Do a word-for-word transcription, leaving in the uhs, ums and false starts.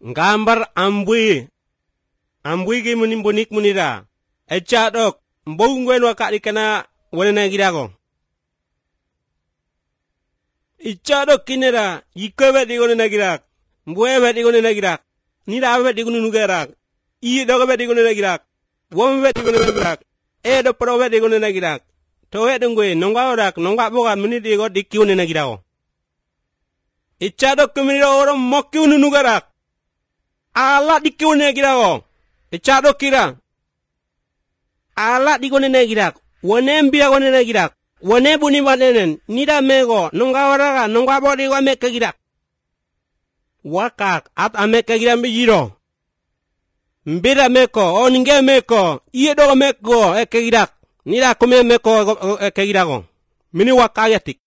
Gambar ambui. Ambui gi munim bonik munira. Echadok. Mbongwen wakak dikana wanena girago. Ichadok kinera. Yikawet di wanena girak. Mbwewet di wanena girak. Nirawet di wanena girak. Iye dogawet di wanena girak. Womwet di wanena girak. Edo prowet di wanena girak. Towet dungwe nongwa orak nongwa boga munidi go dikki wanena girago. Ichadok kuminira orang mokki wanena girak. Ala dikki wanena girago. Ichadok kira. Ala di wanena girak. Wanembia wanena girak. Wanebuni wanenen. Nida mego. Nongwa oraga nongwa bodi wa mekka girak. Wakak at amekka girak mbijiro. Mbira meko, o ninge meko, iye dogo meko, eke girak. Nida kume meko eke girago. Mini wakayatik.